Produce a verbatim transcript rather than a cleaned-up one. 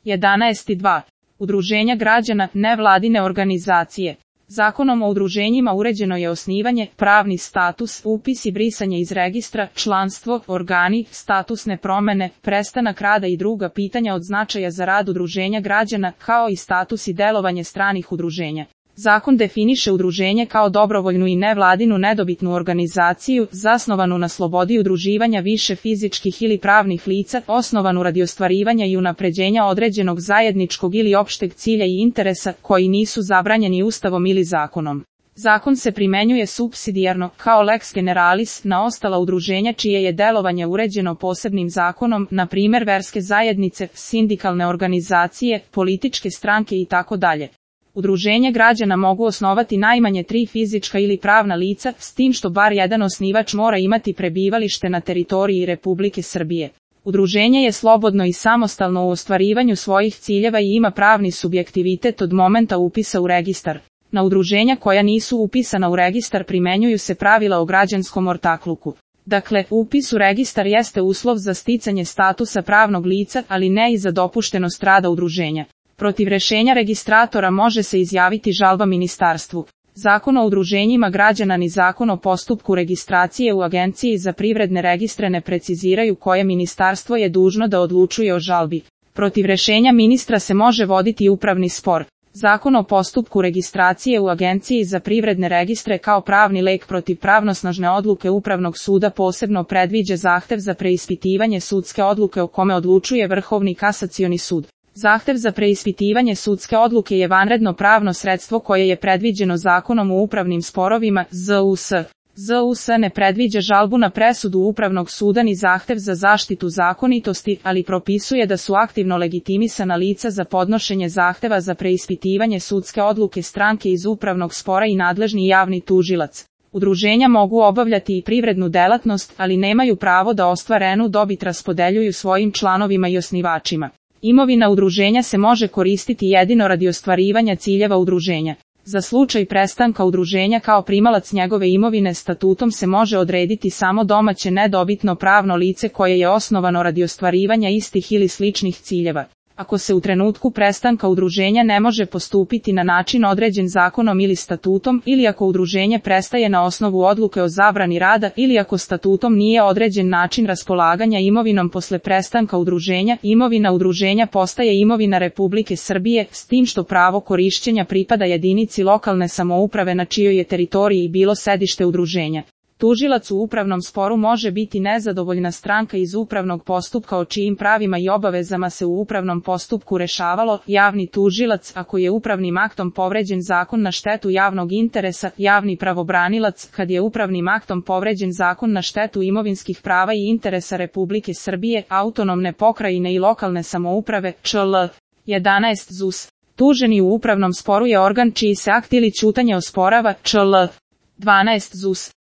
jedanaest dva. Udruženja građana, nevladine organizacije. Zakonom o udruženjima uređeno je osnivanje, pravni status, upis i brisanje iz registra, članstvo, organi, statusne promene, prestanak rada i druga pitanja od značaja za rad udruženja građana, kao i status i delovanje stranih udruženja. Zakon definiše udruženje kao dobrovoljnu i nevladinu nedobitnu organizaciju, zasnovanu na slobodi udruživanja više fizičkih ili pravnih lica, osnovanu radi ostvarivanja i unapređenja određenog zajedničkog ili opšteg cilja i interesa, koji nisu zabranjeni Ustavom ili zakonom. Zakon se primenjuje supsidijarno, kao lex generalis, na ostala udruženja čije je delovanje uređeno posebnim zakonom, na primjer verske zajednice, sindikalne organizacije, političke stranke itd. Udruženje građana mogu osnovati najmanje tri fizička ili pravna lica, s tim što bar jedan osnivač mora imati prebivalište na teritoriji Republike Srbije. Udruženje je slobodno i samostalno u ostvarivanju svojih ciljeva i ima pravni subjektivitet od momenta upisa u registar. Na udruženja koja nisu upisana u registar primenjuju se pravila o građanskom ortakluku. Dakle, upis u registar jeste uslov za sticanje statusa pravnog lica, ali ne i za dopuštenost rada udruženja. Protiv rešenja registratora može se izjaviti žalba ministarstvu. Zakon o udruženjima građana ni zakon o postupku registracije u Agenciji za privredne registre ne preciziraju koje ministarstvo je dužno da odlučuje o žalbi. Protiv rešenja ministra se može voditi upravni spor. Zakon o postupku registracije u Agenciji za privredne registre kao pravni lek protiv pravnosnažne odluke Upravnog suda posebno predviđa zahtev za preispitivanje sudske odluke o kome odlučuje Vrhovni kasacioni sud. Zahtev za preispitivanje sudske odluke je vanredno pravno sredstvo koje je predviđeno Zakonom o upravnim sporovima, Z U S. Z U S ne predviđa žalbu na presudu Upravnog suda ni zahtev za zaštitu zakonitosti, ali propisuje da su aktivno legitimisana lica za podnošenje zahteva za preispitivanje sudske odluke stranke iz upravnog spora i nadležni javni tužilac. Udruženja mogu obavljati i privrednu delatnost, ali nemaju pravo da ostvarenu dobit raspodeljuju svojim članovima i osnivačima. Imovina udruženja se može koristiti jedino radi ostvarivanja ciljeva udruženja. Za slučaj prestanka udruženja kao primalac njegove imovine statutom se može odrediti samo domaće nedobitno pravno lice koje je osnovano radi ostvarivanja istih ili sličnih ciljeva. Ako se u trenutku prestanka udruženja ne može postupiti na način određen zakonom ili statutom, ili ako udruženje prestaje na osnovu odluke o zabrani rada, ili ako statutom nije određen način raspolaganja imovinom posle prestanka udruženja, imovina udruženja postaje imovina Republike Srbije, s tim što pravo korišćenja pripada jedinici lokalne samouprave na čijoj je teritoriji bilo sedište udruženja. Tužilac u upravnom sporu može biti nezadovoljna stranka iz upravnog postupka o čijim pravima i obavezama se u upravnom postupku rešavalo, javni tužilac ako je upravnim aktom povređen zakon na štetu javnog interesa, javni pravobranilac kad je upravnim aktom povređen zakon na štetu imovinskih prava i interesa Republike Srbije, autonomne pokrajine i lokalne samouprave, Č L. jedanaest Z U S. Tuženi u upravnom sporu je organ čiji se akt ili ćutanje osporava, Č L. dvanaest Z U S.